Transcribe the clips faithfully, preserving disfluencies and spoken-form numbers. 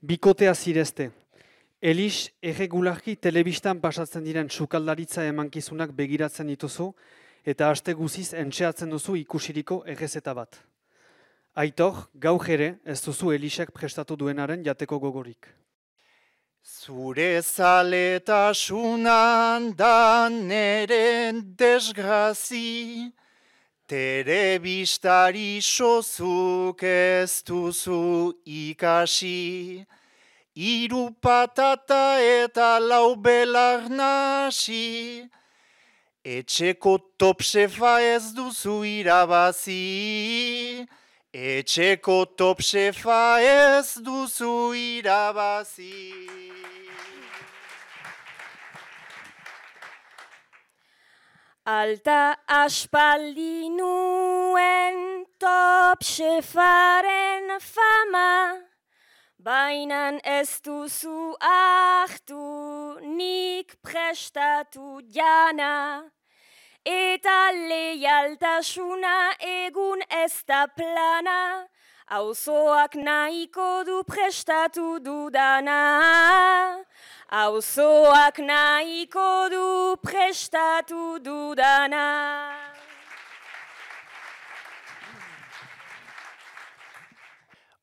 Bikotea zirezte. Elix, erregularki telebistan pasatzen diren sukaldaritza emankizunak begiratzen dituzu eta aste guziz entxeatzen duzu ikusiriko errezeta bat. Aitor, gaur ere ez duzu Elixek prestatu duenaren jateko gogorik. Zure zaletasunan da neren desgrazi, telebistari sozuk ez duzu ikasi, hiru patata eta lau belar nasi, etxeko top shefa ez duzu irabazi, etxeko top shefa ez duzu irabazi. Alta aspaldi nuen top shefaren fama, bainan ez duzu hartu nik prestatu jana, eta leialtasuna egun ez da plana, auzoak nahiko du prestatu dudana. Auzoak nahiko du prestatu dudana.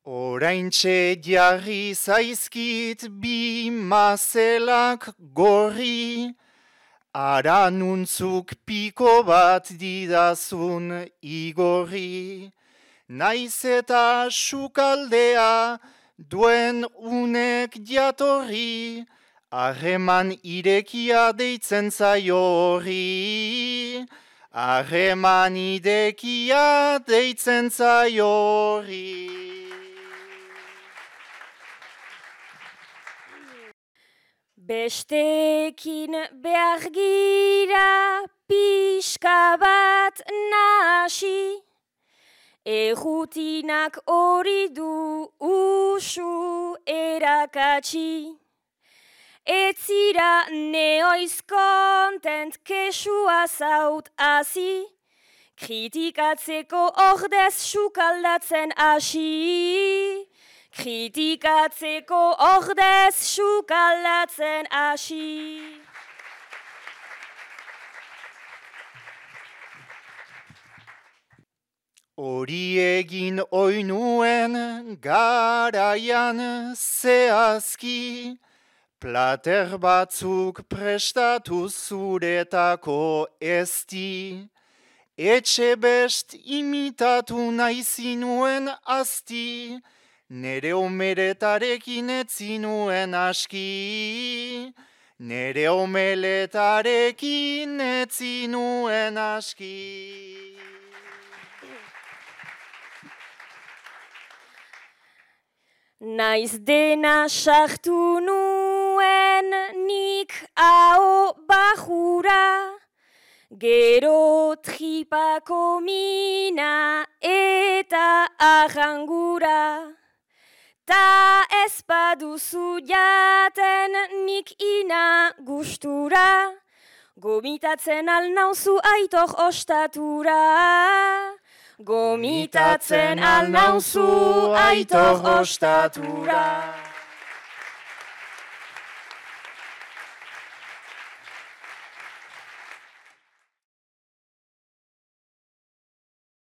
Oraintxe jarri zaizkit bi mazelak gorri, aranuntzuk piko bat didazun igorri, naiz eta sukaldea duen unek jatorri, harreman irekia deitzen zaio horri, harreman irekia deitzen zaio horri. Bestekin behar gira pixka bat nasi, errutinak hori du usu erakatsi. Etzira neoiz kontent kesua zaut hasi, kritikatzeko ordez sukaldatzen hasi. Kritikatzeko ordez sukaldatzen hasi. Hori egin oinuen garaian zehazki, plater batzuk prestatu zuretako ezti, etxe best imitatu nahi zinuen asti, nere omeletarekin etzinuen aski, nere omeletarekin etzinuen aski. Naiz dena sartu nuen nik hau bajura, gero tripako mina eta arrangura. Ta ez baduzu jaten nik ina gustura, gomitatzen alnauzu Aitor ostatura. Gomitatzen alnauzu Aitor ostatura.